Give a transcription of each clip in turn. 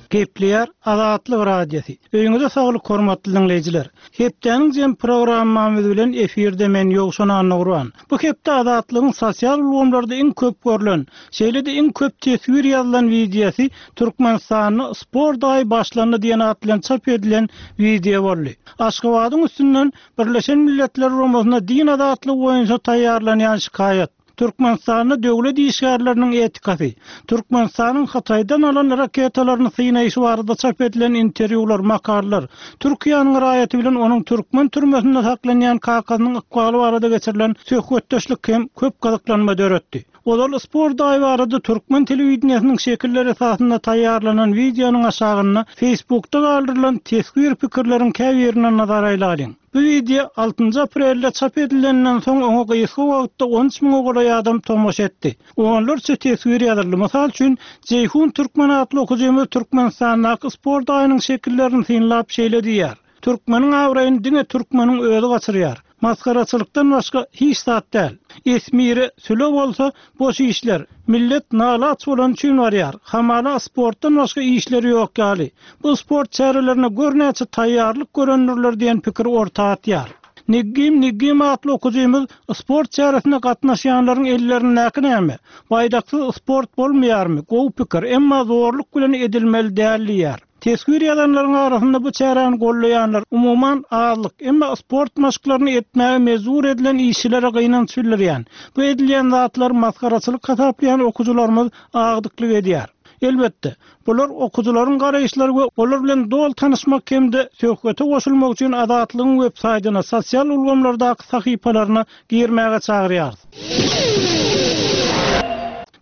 Gepleýär Azatlyk Radiosy. Öýüňize saglyk hormatly diňleýjiler. Hepdäniň jem programmamyz bilen efirde men Ýowşan Annagurban. Bu hepde Azatlygyň sosial ulgamlarda iň köp görlen, şeýle-de iň köp teswir ýazylan wideosy Türkmenistanda sport aýy başlandy diýen at bilen çap edilen wideo boldy. Aşgabadyň üstünden Birleşen Milletler Guramasyna din azatlygy boýunça taýýarlanýan şikaýat, Türkmenistanda döwlet işgärleriniň etikasy, Türkmenistanyň Hytaýdan alan raketalaryny synaýşy barada çap edilen interwýular, makalalar, Türkiýäniň raýaty bilen onuň türkmen türmesinde saklanýan kakasynyň ykbaly barada geçirilen söhbetdeşlik hem köp gyzyklanma döretdi. Ozal sport aýy barada türkmen telewideniýesiniň şekilleri esasynda taýýarlanan wideonyň aşagynda Facebookda galdyrylan teswir pikirleriň käbirine nazar aýlalyň. Bu wideo altynjy aprelde çap edilenden soň oňa gysga wagtda 13 müňe golaý adam tomaşa etdi. Onlarça teswir ýazyldy. Mysal üçin, Jeýhun Türkmen atly okujymyz Türkmenistandaky sport aýynyň şekillerini synlap şeýle diýýär, Türkmeniň abraýyny diňe türkmeniň özi gaçyrýar. Masgaraçylykdan başga hiç zat däl. Esmire, süle bolsa boş işler. Millet nalaç bolany üçin barýar. Hamala sportdan başga işleri ýok ýaly. Bu sport çärelerine gör näçe taýýarlyk görendirler diýen pikiri orta atýar. Niggim Niggim atly okujymyz sport çäresine gatnaşýanlaryň ellerindäki näme? Baýdaksyz sport bolmaýarmy? Gowy pikir, emma zorluk bilen edilmeli däl diýýär. Teswir ýazanlaryň arasynda bu çäräni goldaýanlar, umuman, azlyk. Emma sport maşklaryny etmäge mejbur edilen işçilere gynanç bildirýän, bu edilýän zatlary masgaraçylyk hasaplaýan okyjylarymyz agdyklyk edýär. Elbetde, bular okyjylaryň garaýyşlary we olar bilen doly tanyşmak hem-de söhbete goşulmak üçin Azatlygyň websaýtyna, sosial ulgamlardaky sahypalaryna girmäge çagyrýarys.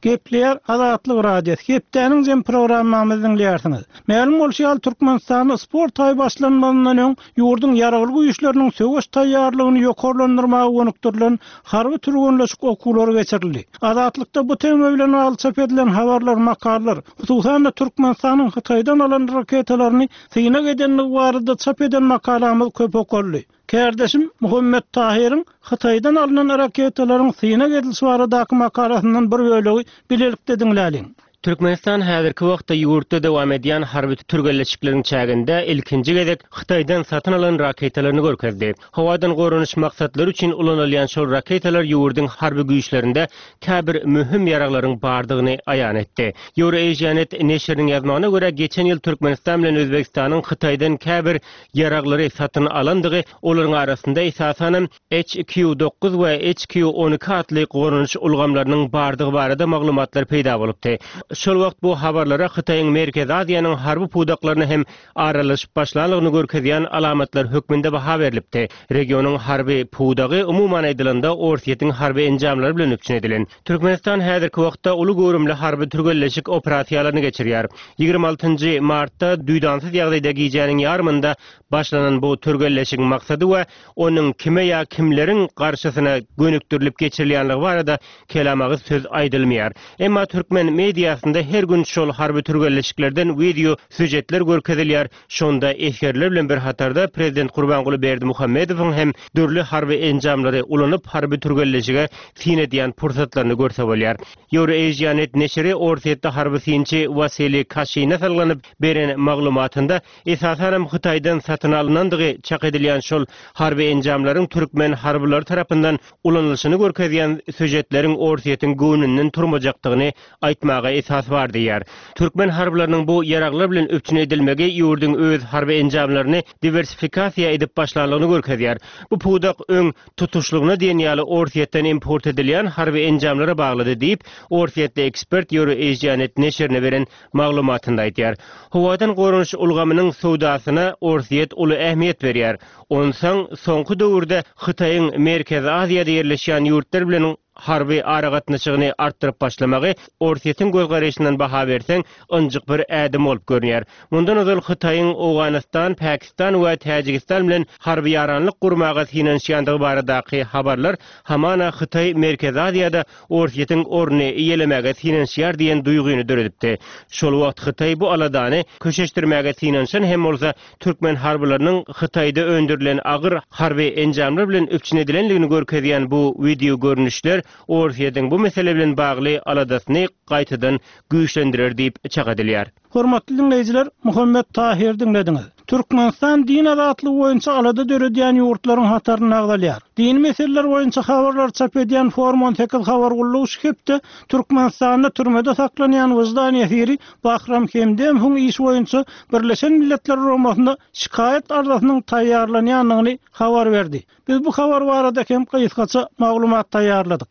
Gepleýär Azatlyk Radiosy, Hepdäniň jem programmamyzy diňleýärsiňiz. Mälim bolşy ýaly, Türkmenistanda sport aýy başlanmazyndan öň, ýurduň Ýaragly Güýçleriniň söweş taýýarlygyny ýokarlandyrmaga gönükdirilen harby türgenleşik okuwlary geçirildi. Azatlykda bu tema bilen bagly çap edilen habarlar, makalalar, hususan-da Türkmenistanyň Hytaýdan alan raketalaryny synag edendigi barada çap eden makalamyz köp okaldy. Kärdeşim Muhammet Tahyryň Hytaýdan alnan raketalaryň synag edilişi baradaky makalasyndan bir bölegi bilelikde diňläliň. Türkmenistan häzirki wagtda ýurtda dowam edýän harby türgenleşikleriň çäginde ilkinji gezek Hytaýdan satyn alan raketalaryny görkezdi. Howadan goranyş maksatlary üçin ulanylýan şol raketalar ýurduň harby güýçlerinde käbir möhüm ýaraglaryň bardygyny aýan etdi. Eurasianet neşiriniň ýazmagyna görä, geçen ýyl Türkmenistan bilen Özbegistanyň Hytaýdan käbir ýaraglary satyn alandygy, olaryň arasynda esasanam HQ-dokuz we HQ-on iki atly goranyş ulgamlarynyň bardygy barada maglumatlar peýda bolupdy. Şol wagt bu habarlara Hytaýyň Merkezi Aziýanyň harby pudaklaryna hem aralaşyp başlanlygyny görkezýän alamatlar hökmünde baha berlipdi. Regionyň harby pudagy, umuman aýdylanda, Orsýetiň harby enjamlary bilen üpjün edilen. Türkmenistan häzirki wagtda uly göwrümli harby türgenleşik operasiýalaryny geçirýär. 26 nji martda duýdansyz ýagdaýda gijäniň ýarymynda başlanan bu türgenleşigiň maksady we onuň kime ýa kimleriň garşysyna gönükdirilip geçirilýänligi barada kelamagyz söz aýdylmaýar. Emma türkmen mediasynda her gün şol harby türgenleşiklerden wideo sýužetler görkezilýär, Şonda esgerler bilen bir hatarda prezident Gurbanguly Berdimuhamedowyň hem dürli harby enjamlary ulanyp harby türgenleşige syn edýän pursatlaryny görse bolýar. Eurasianet neşiri orsýetli harby synçy Wasiliý Kaşine salgylanyp beren maglumatynda esasanam Hytaýdan satyn alnandygy çak edilýän şol harby enjamlaryň türkmen harbylary tarapyndan ulanylyşyny görkezýän sýužetleriň Orsýetiň göwnünden turmajakdygyny aýtmaga esas bar diýýär. Türkmen harbylarynyň bu ýaraglar bilen üpjün edilmegi ýurduň öz harby enjamlaryny diwersifikasiýa edip başlanlygyny görkezýär. Bu pudak öň tutuşlygyna diýen ýaly Orsýetden import edilýän harby enjamlara baglydy diýip, orsýetli ekspert Euroasianet neşirine beren maglumatynda aýdýar. Howadan goranyş ulgamynyň söwdasyna Orsýet uly ähmiýet berýär. Onsoň soňky döwürde Hytaýyň Merkezi Aziýada ýerleşýän ýurtlar bilen harby aragatnaşygyny artdyryp başlamagy Orsýetiň gözgaraýşyndan baha berseň, ynjyk bir ädim bolup görünýär. Mundan ozal Hytaýyň Owganystan, Pakistan we Täjigistan bilen harby ýaranlyk gurmaga synanyşýandygy baradaky habarlar hamana Hytaý Merkezi Aziýada Orsýetiň ornuny eýelemäge synanyşýar diýen duýgyny döredipdi. Şol wagt Hytaý bu aladany köşeşdirmäge synanyşan hem bolsa, türkmen harbylarynyň Hytaýda öndürilen agyr harby enjamlar bilen üpjün edilendigini görkezýän bu wideogörnüşler. Orsýetiň bu mesele bilen bagly aladasyny gaýtadan güýçlendirer diýip çak edilýär. Hormatly diňleýjiler, Muhammet Tahyry diňlediňiz. Türkmenistan din azatlygy boýunça alada döredýän ýurtlaryň hatarynda agzalýar. Dini meseleler boýunça habarlary çap edýän Forum 18 habar gullugy şu hepde Türkmenistanda türmede saklanýan wyždan ýesiri Bahram Hemdemowyň işi boýunça Birleşen Milletler Guramasynda şikaýat arzasynyň taýýarlanýandygyny habar berdi. Biz bu habar barada hem gysgaça maglumat taýýarladyk.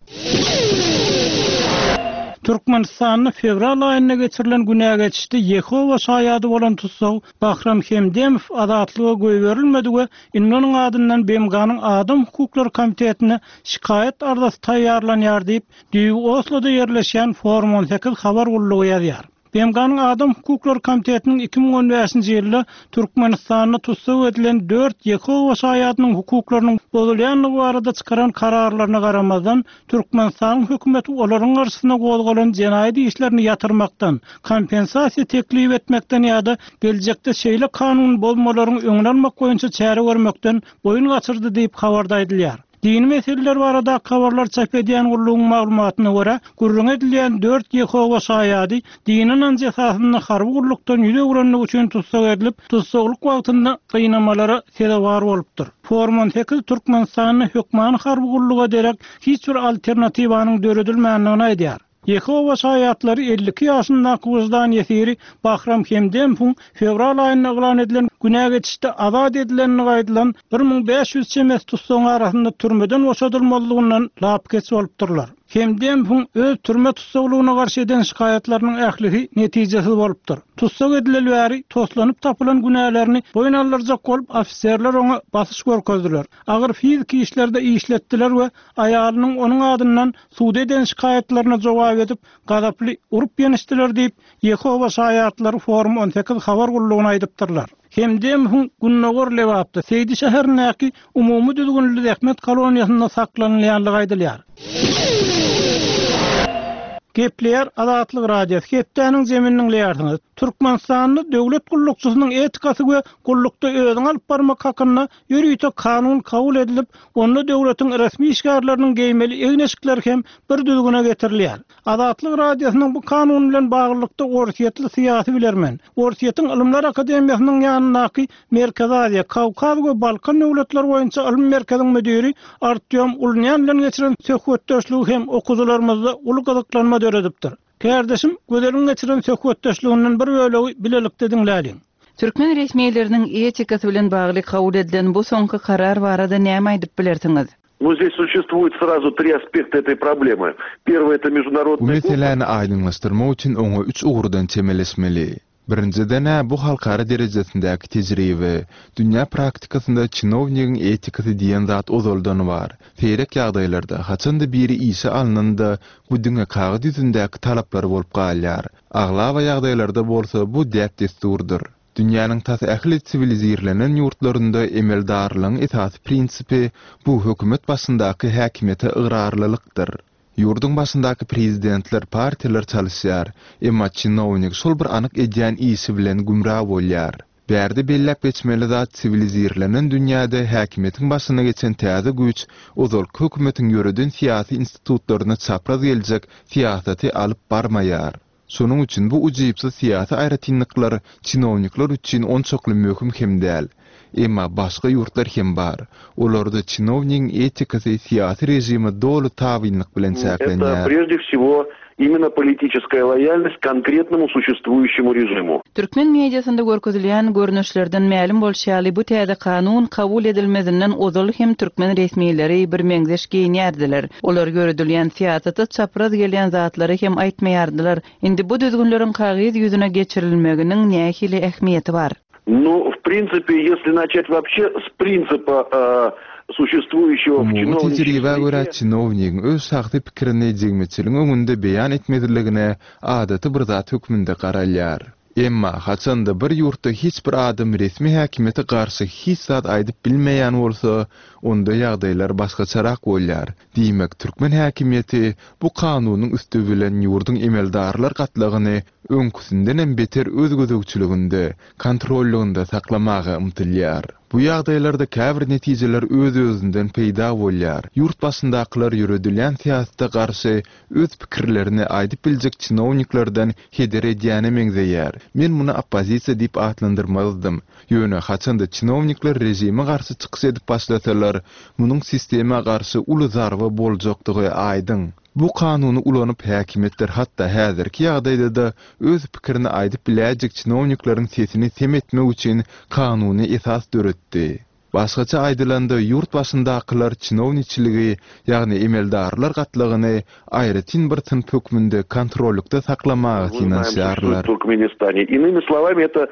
Türkmenistanda fewral aýynda geçirilen günä geçişde Ýehowa şaýady bolan tussag Bahram Hemdemow azatlyga goýberilmedi we indi onuň adyndan BMG-niň Adam hukuklary komitetine şikaýat arzasy taýýarlanýar diýip, düýbi Osloda ýerleşýän Forum 18 habar gullugy ýazýar. BMG-niň Adam hukuklary komitetiniň 2015-nji ýylda Türkmenistanda tussag edilen dört Ýehowa şaýadynyň hukuklarynyň bozulýandygy barada çykaran kararlaryna garamazdan, Türkmenistanyň hökümeti olaryň garşysyna gozgalan jenaýat işlerini ýatyrmakdan, kompensasiýa teklip etmekden ýa-da geljekde şeýle kanun bozmalaryň öňüni almak boýunça çäre görmekden boýun gaçyrdy diýip, habarda aýdylýar. Dini meseleler baradaky habarlary çap edýän gullugyň maglumatyna görä, gürrüňi edilýän dört Ýehowa şaýady dini ynanjy esasynda harby gullukdan ýüz öwrenligi üçin tussag edilip, tussaglyk wagtynda gynamalara sezewar bolupdyr. Forum 18 Türkmenistanda hökmany harby gulluga derek hiç bir alternatiwanyň döredilmändigini aýdýar. Ýehowa Şaýatlary 52 ýaşyndaky wyždan ýesiri Bahram Hemdemowyň fewral aýynda yglan edilen günä geçişde azat edilendigi aýdylan 1500 çemesi tussagyň arasynda türmeden boşadylmazlygyndan lapykeç bolupdyrlar. Hemdemowyň öz türme tussaglygyna garşy eden şikaýatlarynyň ählisi netijesiz bolupdyr. Tussag edileli bäri toslanyp tapylan günälerini boýun aldyrjak bolup ofiserler oňa basyş görkezdiler, agyr fiziki işlerde işletdiler we aýalynyň onuň adyndan suda eden şikaýatlaryna jogap edip, gazaply urup-ýençdiler diýip, Ýehowa şaýatlary Forum 18 habar gullugyna aýdypdyrlar. Hemdemowyň gündogar Lebapda, Seýdi şäherindäki umumy düzgünli zähmet koloniýasynda saklanylýandygy aýdylýar. Gepleýär Azatlyk Radiosy, Hepdäniň jemini diňleýärsiňiz. Türkmenistanda döwlet gullukçysynyň etikasy we gullukda özüňi alyp barmak hakynda Ýörite kanun kabul edilip, onda döwletiň resmi işgärleriniň geýmeli egin-eşikleri hem bir düzgüne getirilýär. Azatlyk Radiosynyň bu kanun bilen baglylykda orsýetli syýasy bilermen, Orsýetiň Ylymlar akademiýasynyň ýanyndaky Merkezi Aziýa, Kawkaz we Balkan döwletleri boýunça ylmy merkeziň müdiri Artýom Ulnýan bilen geçiren söhbetdeşligi hem okyjylarymyzda uly gyzyklanma döredipdir. Kärdeşim Gözeliň geçiren söhbetdeşliginden bir bölegi bilelikde diňläliň. Türkmen resmileriniň etikasy bilen bagly kabul edilen bu soňky karar barada näme aýdyp bilersiňiz? Ну здесь существует сразу три aspekta этой проблемы. Первый это Bu международный meseläni aýdyňlaşdyrmak üçin oňa üç ugurdan çemeleşmeli. Birinjiden-ä bu halkara derejesindäki tejribe. Dünýä praktikasynda çinownigiň etikasy diýen zat ozaldan bar. Seýrek ýagdaýlarda, haçan-da biri işe alnanda, bu diňe kagyz ýüzündäki talaplar bolup galýar. Aglaba ýagdaýlarda bolsa bu däp-dessurdyr. Dünýäniň tas ähli siwilizirlenen ýurtlarynda emeldarlygyň esasy prinsipi bu hökümet başyndaky häkimiýete ygrarlylykdyr. Ýurduň başyndaky prezidentler, partiýalar çalyşýar, emma çinownik şol bir anyk edýän işi bilen gümra bolýar. Bärde belläp geçmeli zat siwilizirlenen dünýäde häkimiýetiň başyna geçen täze güýç ozalky hökümetiň ýöreden syýasy institutlaryna çapraz geljek syýasaty alyp barmaýar. Şonuň üçin bu ujypsyz syýasy aýratynlyklar çinownikler üçin onçakly möhüm hem däl. Emma başga ýurtlar hem bar. Olarda çinownigiň etikasy syýasy režime doly tabynlyk bilen Это çäklenýär. прежде всего именно политическая лояльность конкретному существующему режиму. Türkmen mediasynda görkezilýän görnüşlerden mälim bolşy ýaly, bu täze kanun kabul edilmezinden ozal hem türkmen resmileri birmeňzeş geýinýärdiler. Olar ýöredilýän syýasata çapraz gelýän zatlary hem aýtmaýardylar. Indi bu düzgünleriň kagyz ýüzüne geçirilmeginiň nähili ähmiýeti bar? Ну, в принципе, если начать вообще с принципа существующего в Umumy чиновничьей tejribä görä, среде, çinownigiň öz şahsy pikirini jemgyýetçiligiň öňünde beýan etmezligine adaty bir zat hökmünde garalýar. Emma, haçan-da bir ýurtda hiç bir adam resmi häkimiýete garşy hiç zat aýdyp bilmeýän bolsa, onda ýagdaýlar başgaçarak bolýar. Diýmek, türkmen häkimiýeti bu kanunyň üsti bilen ýurduň emeldarlar gatlagyny öňküsindenem beter öz gözegçiliginde, kontrollygynda saklamaga ymtylýar. Bu ýagdaýlarda käbir netijeler öz-özünden peýda bolýar. Ýurt başyndakylar ýöredilýän syýasata garşy öz pikirlerini aýdyp biljek çinowniklerden heder edýäne meňzeýär. Men muny oppozisiýa diýip atlandyrmazdym. Ýöne haçanda çinownikler režime garşy çykyş edip başlasalar, munuň sistema garşy uly zarba boljakdygy aýdyň. Bu kanuny ulanyp häkimiýetler hatda häzirki ýagdaýda-da öz pikirini aýdyp biläýjek çinownikleriň sesini sem etmek üçin kanuny esas döretdi. Başgaça aýdylanda ýurt başyndakylar çinowniçiligi, ýagny emeldarlar gatlagyny aýratyn bir synp hökmünde kontrollykda saklamaga synanyşýarlar. Иными словами, это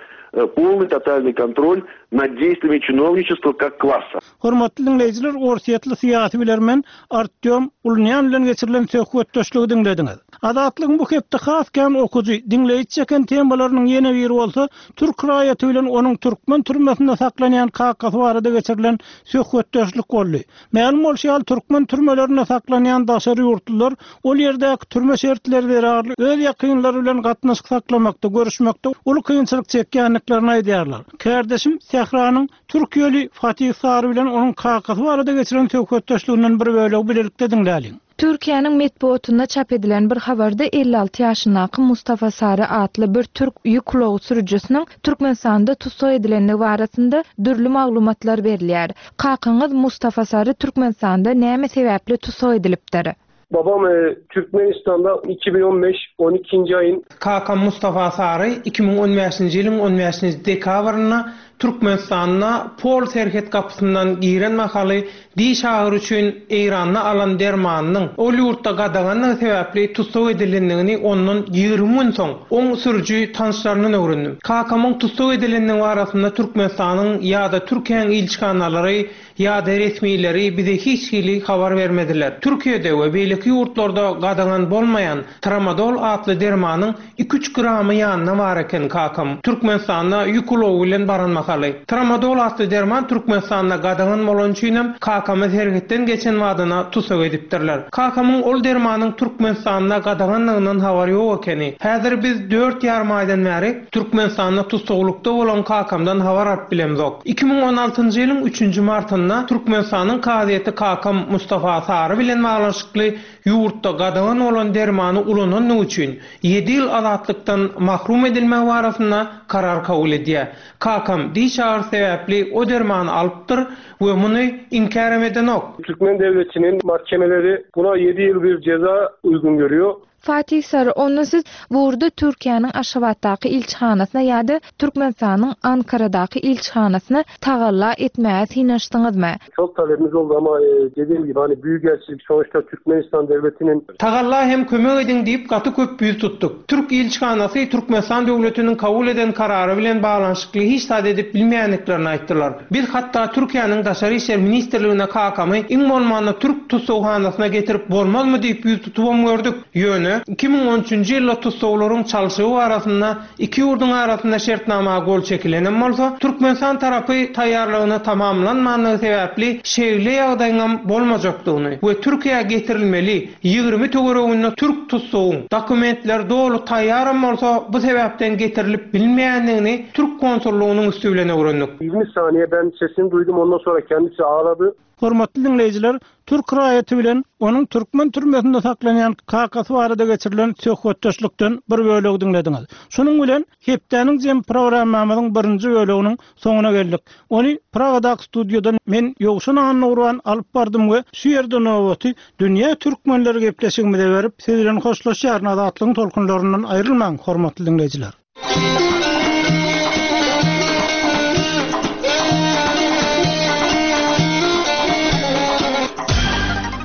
полный тотальный контроль над действиями чиновничества как класса. Hormatly diňleýjiler, orsýetli syýasy bilermen Artýom Ulunýan bilen geçirilen söhbetdeşligi diňlediňiz. Azatlygyň bu hepde has kän okyjy, diňleýji çeken temalarynyň ýene biri bolsa, türk raýaty bilen onuň türkmen türmesinde saklanýan kakasy barada geçirilen söhbetdeşlik boldy. Mälim bolşy ýaly, türkmen türmelerinde saklanýan daşary ýurtlular ol ýerdäki türme şertleri zerarly öz ýakynlary bilen gatnaşyk saklamakda, görüşmekde uly kynçylyk çekýändiklerini aýdýarlar. Kärdeşim Sähranyň Türkiýeli Fatih Sary bilen onuň kakasy barada geçiren söhbetdeşliginden bir bölegi bilelikde diňläliň. Türkiýäniň metbugatynda çap edilen bir habarda 56 ýaşyndaky Mustafa Sary atly bir türk ýük ulagy sürüjisiniň Türkmenistanda tussag edilendigi barasynda dürli maglumatlar berilýär. Kakaňyz Mustafa Sary Türkmenistanda näme sebäpli tussag edilipdir? Babam Türkmenistanda 2015 12-nji aýyn. Kakam Mustafa Sary 2015-nji ýylyň on bäşinji dekabrynda Türkmenistanda Pol serhet gapysyndan giren mahaly diş agyry üçin Eýranda alan dermanynyň ol ýurtda gadagandygy sebäpli tussag edilendigini ondan 20 gün soň oň sürüji tanyşlaryndan öwrendim. Kakamyň tussag edilendigi barasynda Türkmenistanyň ýa-da Türkiýäň ilçihanalary ýa-da resmileri bize hiç hili habar bermediler. Türkiýede we beýleki ýurtlarda gadagan bolmaýan tramadol atly dermanyň iki-üç gramy ýanynda bar eken kakam Türkmenistanda ýük ulagy bilen baran mahaly. Tramadol atly derman Türkmenistanda gadagan bolany üçinem kakamy serhetden geçen badyna tussag edipdirler. Kakamyň ol dermanyň Türkmenistanda gadaganlygyndan habary ýok ekeni. Häzir biz dört ýarym aýdan bäri Türkmenistanda tussaglykda bolan kakamdan habar alyp bilemzok. 2016-njy ýylyň üçünji martynda Türkmenistanyň kazyýeti kakam Mustafa Sary bilen baglanyşykly ýurtda gadagan bolan dermany ulanandygy üçin ýedi ýyl azatlykdan mahrum edilmegi barasynda karar kabul edýär. Kakam diş agyrysy sebäpli o dermany alypdyr we muny inkärem edenok. Türkmen döwletiniň mahkemeleri buna ýedi ýyl bir jeza uýgun görýär. Fatih Sary, onda siz bu ugurda Türkiýäniň Aşgabatdaky ilçihanasyna ýa-da Türkmenistanyň Ankaradaky ilçihanasyna tagalla etmäge synanyşdyňyzmy? Çok talebimiz oldu ama dediğim gibi hani büyükelçilik sonuçta Türkmenistan devletinin. Tagalla hem kömek ediň diýip gaty köp ýüz tutduk. Türk ilçihanasy Türkmenistan döwletiniň kabul eden karary bilen baglanyşykly hiç zat edip bilmeýändiklerini aýtdylar. Biz hatda Türkiýäniň Daşary işler ministrligine kakamy iň bolmanda türk tussaghanasyna getirip bolmazmy diýip ýüz tutubam gördük. Ýöne, 2013-nji ýylda tussaglaryň çalşygy barasynda iki ýurduň arasynda şertnama gol çekilenem bolsa, Türkmenistan tarapy taýýarlygyny tamamlanmandygy sebäpli şeýle ýagdaýyňam bolmajakdygyny we Türkiýä getirilmeli 20 töwereginde türk tussagyň dokumentleri doly taýýaram bolsa bu sebäpden getirilip bilinmeýändigini türk konsullygynyň üsti bilen öwrendik. 20 saniye ben sesini duydum ondan sonra kendisi ağladı. Hormatly diňleýjiler, türk raýaty bilen onuň türkmen türmesinde saklanýan kakasy barada geçirilen söhbetdeşlikden bir bölegi diňlediňiz. Şunuň bilen hepdäniň jemi programmamyzyň birinji böleginiň soňuna geldik. Ony Pragadaky studiýadan men Ýowşan Annagurban alyp bardym we şu ýerde nobaty Dünýä türkmenleri gepleşigimize berip, siz bilen hoşlaşýaryn. Azatlygyň tolkunlaryndan aýrylmaň, hormatly diňleýjiler!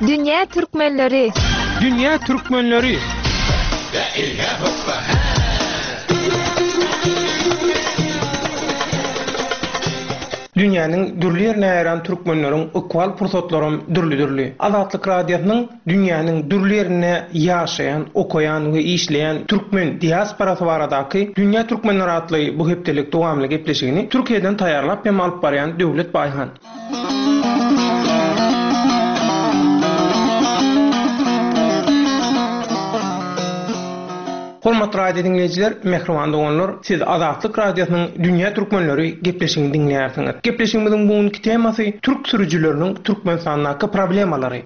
Dünýä türkmenleri! Dünýä türkmenleri! Dünýäniň dürli ýerine ýaýran türkmenleriň ykbal pursatlaram dürli-dürli. Azatlyk Radiosynyň dünýäniň dürli ýerinde ýaşaýan, okaýan we işleýän türkmen diasporasy baradaky Dünýä türkmenleri atly bu hepdelik dowamly gepleşigini Türkiýeden taýýarlap hem alyp barýan Döwlet Baýhan. Hormatly radio diňleýjiler, mähriban doganlar, siz Azatlyk Radiosynyň Dünýä Türkmenleri gepleşigini diňleýärsiňiz. Gepleşigimiziň bu günki temasy türk sürüjileriniň Türkmenistandaky problemalary.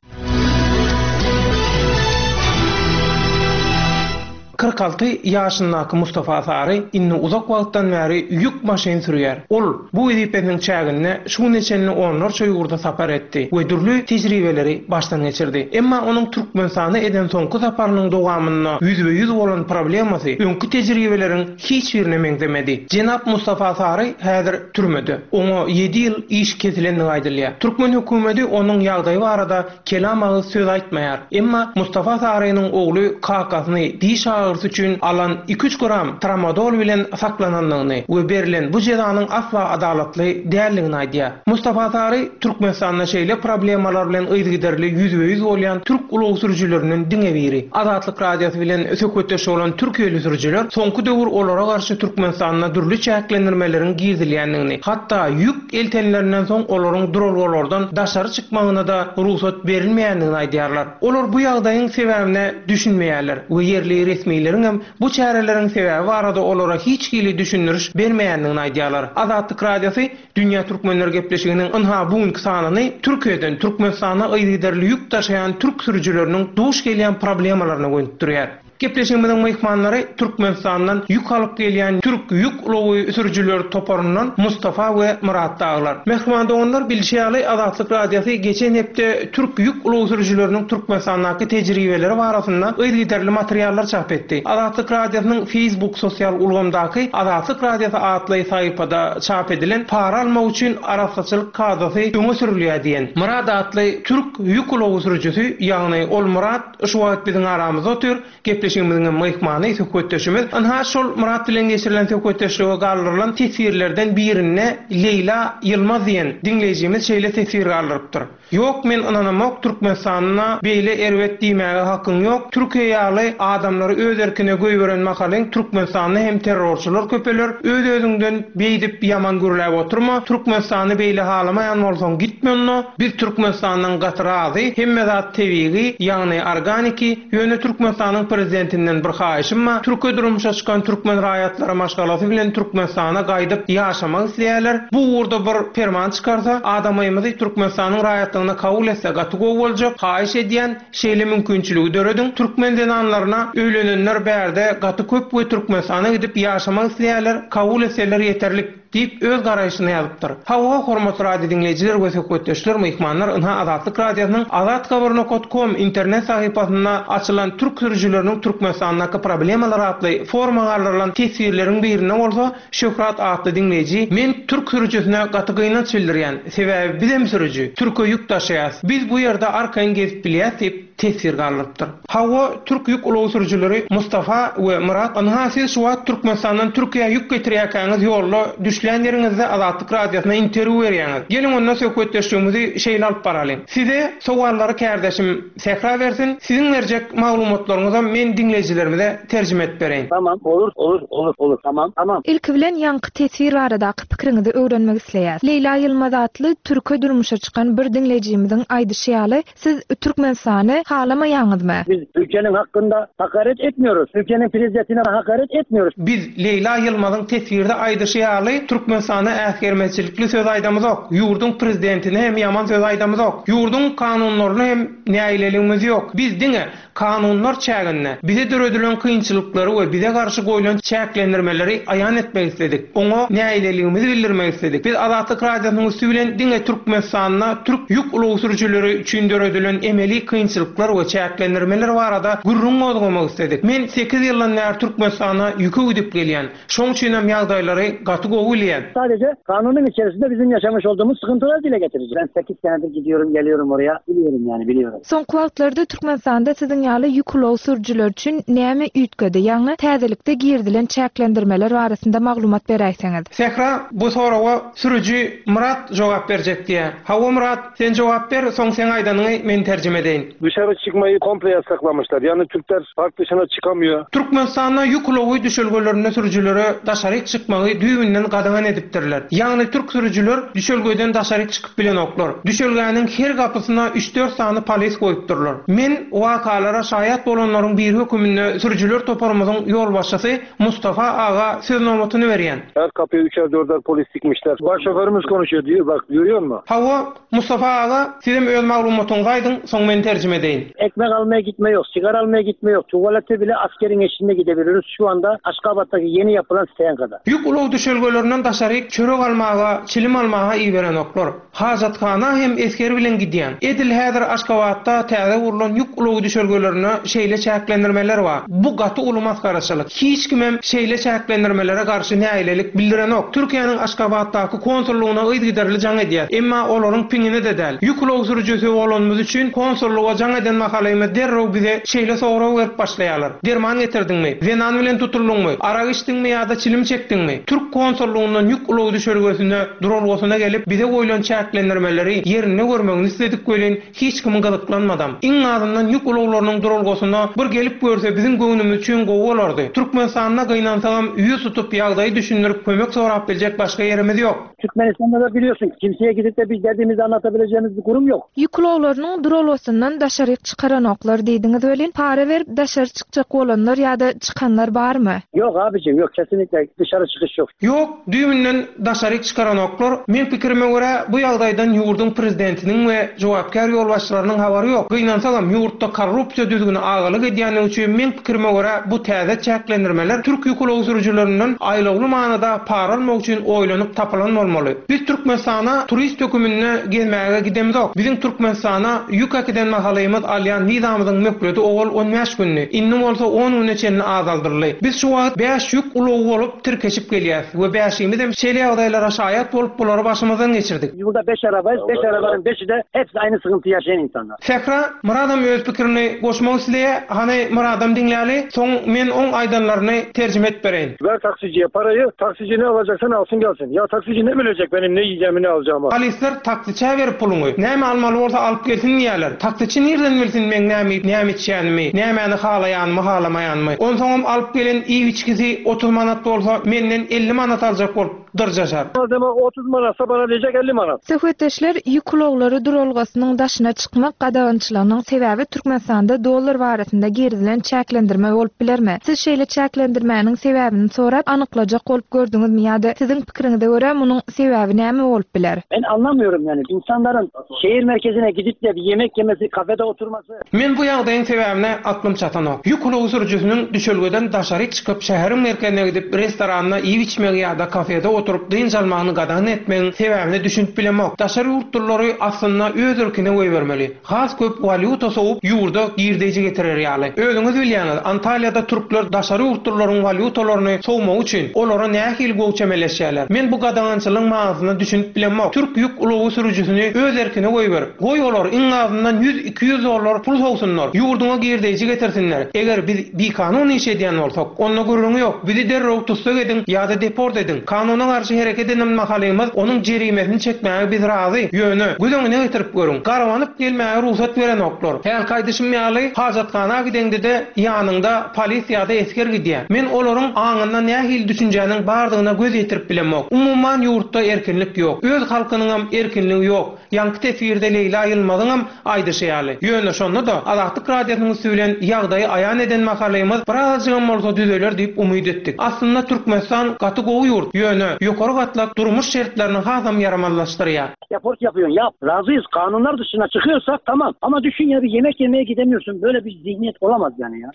46 ýaşyndaky Mustafa Sary indi uzak wagtdan bäri ýük maşyn sürýär. Ol bu wezipesiniň çäginde şu güne çenli onlarça ýurda sapar etdi we dürli tejribeleri başdan geçirdi. Emma onuň Türkmenistana eden soňky saparynyň dowamynda ýüzbe-ýüz bolan problemasy öňki tejribeleriň hiç birine meňzemedi. Jenap Mustafa Sary häzir türmede. Oňa ýedi ýyl iş kesilendigi aýdylýar. Türkmen hökümeti onuň ýagdaýy barada Kelam agyz söz aýtmaýar. Emma Mustafa Sarynyň ogly kakasyny diş agyrysy üçin alan iki-üç gram tramadol bilen saklanandygyny we berlen bu jezanyň asla adalatly däldigini aýdýar. Mustafa Sary Türkmenistanda şeýle problemalar bilen yzygiderli ýüzbe-ýüz bolýan türk ulag sürüjilerinden diňe biri. Azatlyk Radiosy bilen söhbetdeş bolan türkiýeli sürüjiler soňky döwür olara garşy Türkmenistanda dürli çäklendirmeleriň girizilýändigini, hatda ýük eltenlerinden soň olaryň duralgalardan daşary çykmagyna-da rugsat berilmeýändigini aýdýarlar. Olar bu ýagdaýyň sebäbine düşünmeýärler we ýerli resmileriňem bu çäreleriň sebäbi barada olara hiç hili düşündiriş bermeýändigini aýdýarlar. Azatlyk Radiosy Dünýä Türkmenleri gepleşiginiň ynha bu günki sanyny Türkiýeden Türkmenistana yzygiderli ýük daşaýan türk sürüjileriniň duş gelýän problemalaryna gönükdirýär. Gepleşigimiziň myhmanlary Türkmenistandan ýük alyp gelýän türk ýük ulagy sürüjileri toparyndan Mustafa we Myrat dagylar. Mähriban doganlar, bilşi ýaly, Azatlyk Radiosy geçen hepde türk ýük ulag sürüjileriniň Türkmenistandaky tejribeleri barasynda yzygiderli materiallar çap etdi. Azatlyk Radiosynyň Facebook sosial ulgamdaky Azatlyk Radiosy atly sahypada çap edilen Para almak üçin arassaçylyk kadasy öňe sürülýär diýen Myrat atly türk ýük ulagy sürüjisi, ýagny ol Myrat, Şu wagt biziň aramyzda otyr, gepleşigimiziňem myhmany, söhbetdeşimiz. Ynha, şol Myrat bilen geçirilen söhbetdeşlige galdyrylan teswirlerden birinde Leýla Ýylmaz diýen diňleýjimiz şeýle teswir galdyrypdyr, Ýok, men ynanamok, Türkmenistanda beýle erbet diýmäge hakyň ýok, Türkiýe ýaly adamlary öz erkine goýberen mahalyň Türkmenistanda hem terrorçylar köpeler, öz-özüňden beýdip ýaman gürläp oturma, Türkmenistany beýle halamaýan bolsaň gitme onda, Biz Türkmenistandan gaty razy, hemme zat tebigy, ýagny organiki, ýöne Türkmenistanyň prezidentinden bir haýyşym bar, türke durmuşa çykan türkmen raýatlary maşgalasy bilen Türkmenistana gaýdyp ýaşamak isleýärler, bu ugurda bir perman çykarsa, adamymyzy Türkmenistanyň raýatlygyna kabul etse gaty gowy boljak, haýyş edýän, şeýle mümkinçiligi dörediň, türkmen zenanlaryna öýlenenler bärde gaty köp we Türkmenistana gidip ýaşamak isleýärler, kabul etseler ýeterlik. Diýip, öz garaýşyny ýazypdyr. Hawa, hormatly radio diňleýjiler we söhbetdeşler, myhmanlar, ynha Azatlyk Radiosynyň azathabar nokat kom internet sahypasynda açylan Türk sürüjileriniň Türkmenistandaky problemalary atly foruma galdyrylan teswirleriň birinde bolsa Şöhrat atly diňleýji Men türk sürüjisine gaty gynanç bildirýän, sebäbi bizem sürüji, türke ýük daşaýas. Biz bu ýerde arkaýyn gezip bilýäs diýip, teswir galdyrypdyr. Hawa, türk ýük ulag sürüjileri Mustafa we Myrat, ynha siz şu wagt Türkmenistandan Türkiýä ýük getirýärkäňiz ýolda düşlän ýeriňizde Azatlyk Radiosyna interwýu berýäňiz. Geliň onda söhbetdeşligimizi şeýle alyp baralyň. Size sowallary kärdeşim Sähra bersin, siziň berjek maglumatlaryňyzam men diňleýjilerimize terjime edip bereýin. Tamam, olur, olur, olur, olur, tamam, tamam. Ilki bilen ýaňky teswir baradaky pikiriňizi öwrenmek isleýäs. Leýla Ýylmaz atly türke durmuşa çykan bir diňleýjimiziň aýdyşy ýaly, Siz Türkmenistany halamaýaňyzmy? Biz Türkiýeniň hakkynda hakaret etmiyoruz. Türkiýeniň prezidentine hakaret etmiyoruz. Biz Leýla Ýylmazyň teswirde aýdyşy ýaly Türkmenistana äsgermezçilikli söz aýdamyzok. Ýurduň prezidentine hem ýaman söz aýdamyzok. Ýurduň kanunlaryna hem nägileligimiz ýok. Biz diňe Kanunlar çäginde bize döredilen kynçylyklary we bize garşy goýlan çäklendirmeleri aýan etmek isledik. Oňa nägileligimizi bildirmek isledik. Biz Azatlyk Radiosynyň üsti bilen diňe Türkmenistanda türk ýük ulag sürüjileri üçin döredilen emeli kynçylyklar we çäklendirmeler barada gürrüň gozgamak isledik. Men sekiz ýyldan bäri Türkmenistana ýüke gidip gelýän. Şoň üçinem ýagdaýlary gaty gowy bilýän. Sadece kanunyň içerisinde bizim yaşamış olduğumuz sıkıntıları dile getireceğim. Ben 8 senedir gidiyorum geliyorum oraya. Biliyorum yani biliyorum. Soňky wagtlarda Türkmenistanda siziň ýaly ýük ulag sürüjileri üçin näme üýtgedi, ýagny täzelikde girizilen çäklendirmeler barasynda maglumat beräýseňiz? Sähra bu soraga sürüji Myrat jogap berjek diýýär. Hawa Myrat, sen jogap ber, soň seň aýdanyňy men terjime edeýin. Dışarı çıkmayı komple yasaklamışlar. Yani Türkler park dışına çıkamıyor. Türkmenistanda ýük ulagy düşelgelerinde sürüjilere daşaryk çykmagy düýbünden gadagan edipdirler. Ýagny türk sürüjiler düşelgeden daşaryk çykyp bilenoklar. Düşelgäniň her gapysyna üç-dört sany polis goýupdyrlar. Men wakalara şaýat bolanlaryň biri höküminde sürüjiler toparymyzyň ýolbaşçysy Mustafa aga söz nobatyny berýän. Her kapıya üçer dörder polis dikmişler. Baş şoförümüz konuşuyor diyor bak görüyor musun? Hawa, Mustafa aga, sizem öz maglumatyňyzy aýdyň, soň men terjime edeýin. Ekmek almaya gitme yok, sigara almaya gitme yok. Tuvalete bile askerin eşliğinde gidebiliyoruz şu anda Aşgabat'taki yeni yapılan STNK'da. Ýük ulag düşelgelerinden daşaryk çörek almaga, çilim almaga iberenoklar. Hajathana hem esger bilen gidýän. Edil häzir Aşgabatda täze gurlan ýük ulagy düşelgelerinde şeýle çäklendirmeler bar. Bu gaty uly masgaraçylyk. Hiç kimem şeýle çäklendirmelere garşy nägilelik bildirenok. Türkiýäniň Aşgabatdaky konsullygyna yzygiderli jaň edýäs. Emma olaryň piňine-de däl. Ýük ulag sürüjisi bolanymyz üçin konsullyga jaň eden mahalymyz derrew bize şeýle sorag berip başlaýarlar, Derman getirdiňmi? Zenan bilen tutuldyňmy? Arak içdiňmi ýa-da çilim çekdiňmi? Türk konsullygyndan ýük ulagy düşelgesine, duralgasyna gelip, bize goýlan çäklendirmeleri ýerinde görmegini isledik welin, Hiç kim gyzyklanmadam. Iň azyndan ýük ulaglarynyň duralgasyna bir gelip görse biziň göwnümiz üçin gowy bolardy. Türkmenistanda gynansagam ýüz tutup ýagdaýy düşündirip kömek sorap biljek başga ýerimiz ýok. Türkmenistanda da biliyorsun kimseye gidip de biz derdimizi anlatabileceğimiz bir kurum yok. Ýük ulaglarynyň duralgasyndan daşaryk çykaranoklar diýdiňiz welin, para berip daşary çykjak bolanlar ýa-da çykanlar barmy? Yok abicim yok kesinlikle dışarı çıkış yok. Ýok, düýbünden daşaryk çykaranoklar. Meň pikirime görä, bu ýagdaýdan ýurduň prezidentiniň we jogapkär ýolbaşçylarynyň habary ýok. Gynansagam, ýurtda korrupsiýa düzgüni agalyk edýänligi üçin, meň pikirime görä, bu täze çäklendirmeler türk ýük ulag sürüjilerinden aýlawly manyda para almak üçin oýlanyp tapylan bolmaly. Biz Türkmenistana turist höküminde gezmäge gidemzok. Biziň Türkmenistana ýük äkiden mahalymyz alýan wizamyzyň möhleti owal on bäş gündi, indi bolsa on güne çenli azaldyldy. Biz şu wagt bäş ýük ulagy bolup, tirkeşip gelýäs we bäşimizem şeýle ýagdaýlara şaýat bolup bulary başymyzdan geçirdik. Ýurda beş arabayız, beş arabanın beşi-de hepsi aýny sygyntý ýaşaýan insanlar. Sähra, Myradam öz pikirini goşmak isleýä, hany Myradam diňläli, soň men oň aýdanlaryny terjime edip bereýin. Ver taksiciye parayı, taksici ne alacaksa alsyn gelsin. Ya taksici ne bilecek benim ne yiyeceğimi ne alacağımı. Polisler taksiçä ber puluňy, näme almaly bolsa alyp gelsin diýýäler. Taksiçi nirden bilsin meň näme iýip, näme içýänimi, nämäni halaýanymy, halamaýanymy. Onsoňam alyp gelen iýip-içgisi 30 manat bolsa, menden 50 manat aljak bolup dyrjaşar. Malzeme 30 manatsa bana diýjek 50 manat. Söhbetdeşler ýük ulaglary duralgasynyň daşyna çykmak gadagançylygynyň sebäbi Türkmenistanda dollar barasynda girizilen çäklendirme bolup bilermi? Siz şeýle çäklendirmäniň sebäbini sorap, anyklajak bolup gördüňizmi ýa-da siziň pikiriňize görä munuň sebäbi näme bolup biler? Ben anlamıyorum yani insanların şehir merkezine gidip de bir yemek yemesi, kafede oturması. Men bu ýagdaýyň sebäbine aklym çatanok. Ýük ulagy sürüjisiniň düşelgeden daşaryk çykyp, şäheriň merkezine gidip, restoranda iýip-içmegi ýa-da kafede oturyp dynç almagyny gadagan etmegiň sebäbine düşünip bilemok. Daşary ýurtlulary aslynda öz erkine goýbermeli. Has köp walýuta sowup, ýurda girdeýji getirer ýaly. Özüňiz bilýäňiz, Antalýada türkler daşary ýurtlularyň walýutalaryny sowmagy üçin, olara nähili gowy çemeleşýärler. Men bu gadagançylygyň manysyna düşünip bilemok. Türk ýük ulagy sürüjisini öz erkine goýber. Goý olar iň azyndan ýüz-iki ýüz dollar pul sowsunlar, ýurduňa girdeýji getirsinler. Eger biz bikanun iş edýän bolsak, onda gürrüňi ýok, bizi derrew tussag ediň ýa-da deport ediň. Kanuna garşy hereket eden mahalymyz onuň jerimesini çekmäge biz razy, ýöne, göz öňüne getirip görüň, garabanyp gelmäge rugsat berenoklar. Hälki aýdyşym ýaly, hajathana gideňde-de ýanyňda polis ýa-da esger gidýär. Men olaryň aňynda nähili düşünjäniň bardygyna göz ýetirip bilemok. Umuman ýurtda erkinlik ýok. Öz halkynyňam erkinligi ýok. Ýaňky teswirde Leýla Ýylmazyňam aýdyşy ýaly. Ýöne şonda-da, Azatlyk Radiosynyň üsti bilen ýagdaýy aýan eden mahalymyz birazajygam bolsa düzeler diýip umyt etdik. Aslynda Türkmenistan gaty gowy ýurt, ýöne ýokary gatlak durmuş şertlerini hasam ýaramazlaşdyrýar. Deport yapıyorsun yap. Razıyız. Kanunlar dışına çıkıyorsak tamam. Ama düşün ya bir yemek yemeye gidemiyorsun. Böyle bir zihniyet olamaz yani ya.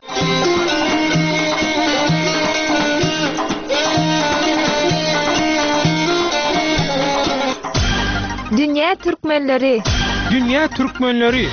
Dünýä türkmenleri! Dünýä türkmenleri!